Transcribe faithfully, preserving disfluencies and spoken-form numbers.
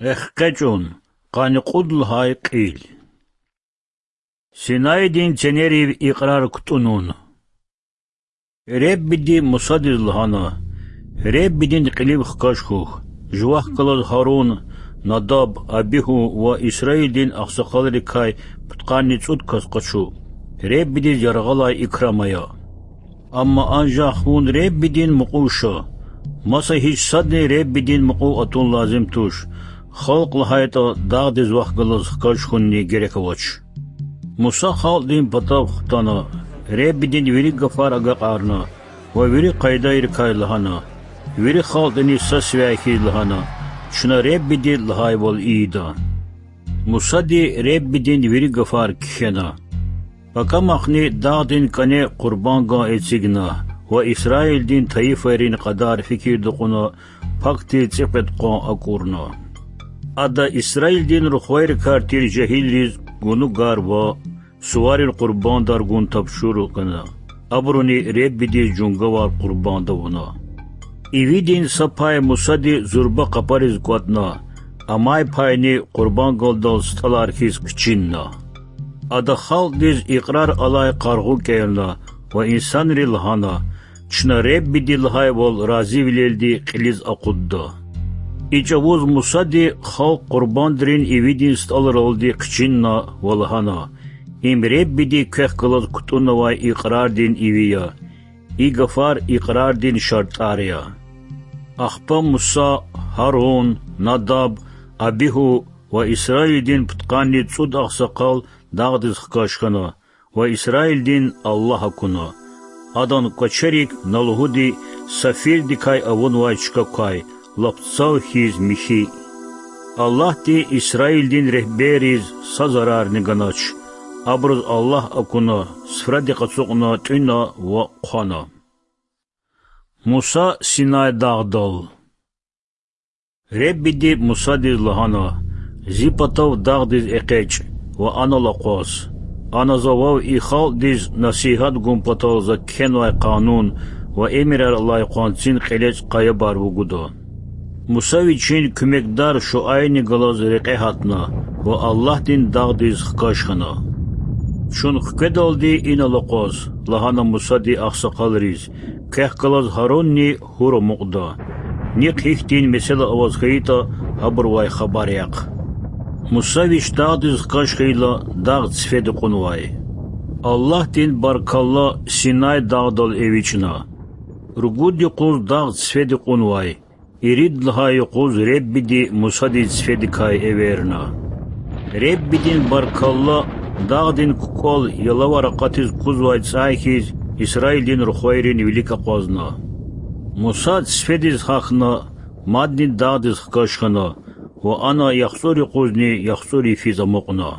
ЭкъечӀун. Къанни кьуд лагьай кьил. Синайдин ценерив икьрар кутӀунун. Реббиди Мусадиз лагьана: Реббидин кьилив хкаж хьухь, жувахъ галаз Гьарун, Надаб, Абигьу ва Исраилдин агъсакъалрикай пудкъанни цӀуд кас къачу, Реббидиз яргъалай икрам ая. Амма анжах вун Реббидин мукьув ша, маса гьич садни Реббидин мукьув атун лазим туш, халкь лагьайтӀа дагъдиз вахъ галаз хкаж хьунни герек авач. Муса халкьдин патав хтана, Реббидин вири гафар агакьарна ва вири къайдайрикай лагьана, вири халкьдини са сивяй хьиз лагьана: Чна Реббиди лагьайвал ийида. Мусади Реббидин вири гафар кхьена. Пакамахъни дагъдин кӀане къурбанган эцигна ва Исраилдин тайифайрин кьадар фикирда кьуна, пак тир цӀикьвед къван акӀурна. Ада Исраилдин рухвайрикай тир жегьилриз гунугар ва суварин къурбандар гун тапшуругъ гана, абуруни Реббидиз жунгавар къурбанд авуна. Ивидин са пай Мусади зурба къапариз кӀватӀна, амай пайни къурбангалдал стӀалар хьиз кичинна. Ада халкьдиз икьрар алай къаргъу кӀелна ва инсанри лагьана: Чна Реббиди лагьайвал разивилелди кьилиз акъудда. И чӀавуз Мусади халкь къурбандрин ивидин стӀалралди хъичинна ва лагьана: Им Реббиди квехъ галаз кутӀунавай икьрардин иви я. И гафар икьрардин шартӀар я. Ахпа Муса, Гьарун, Надаб, Абигьу ва Исраилдин пудкъанни цӀуд агъсакъал дагъдиз хкаж хьана ва Исраилдин Аллагь акуна. Адан кӀвачерик на лугьуди сафирдикай авунвай чка квай, лап цав хьиз михьи. Аллагьди Исраилдин регьберриз са зарарни ганач. Абуруз Аллагь акуна, суфради къацукьна тӀуьна ва хъвана. Муса Синай дагъдал. Реббиди Мусадиз лагьана: Зи патав дагъдиз экъечӀ ва анал акъваз. Ана за вав и халкьдиз насигьат гун патал за кхьенвай къанун ва эмирар алай къванцин кьелечӀ къаябар вугуда. Муса вичин куьмекдар Шуайрни галаз рекье гьатна ва Аллагьдин дагъдиз хкаж хьана. Чун хкведалди инал акъваз,— лагьана Мусади агъсакъалриз,— квехъ галаз Гьарунни Гьур амукьда. Нихъ гьихьтин месэла аваз хьайитӀа, гьабурувай хабар яхъ. Муса вич дагъдиз хкаж хьайила, дагъ цифеди кьунвай. Аллагьдин баркалла Синай дагъдал эвичӀна. Ругуд юкъуз дагъ цифеди кьунвай, ирид лагьай юкъуз Реббиди Мусадиз цифедикай эверна. Реббидин баркалла дагъдин кукӀвал ялавар акъатиз кузвай цӀай хьиз Исраилдин рухвайрин вилик акъвазна. Муса цифедиз гьахьна, мадни дагъдиз хкаж хьана ва ана яхцӀур юкъузни яхцӀур йифиз амукьна.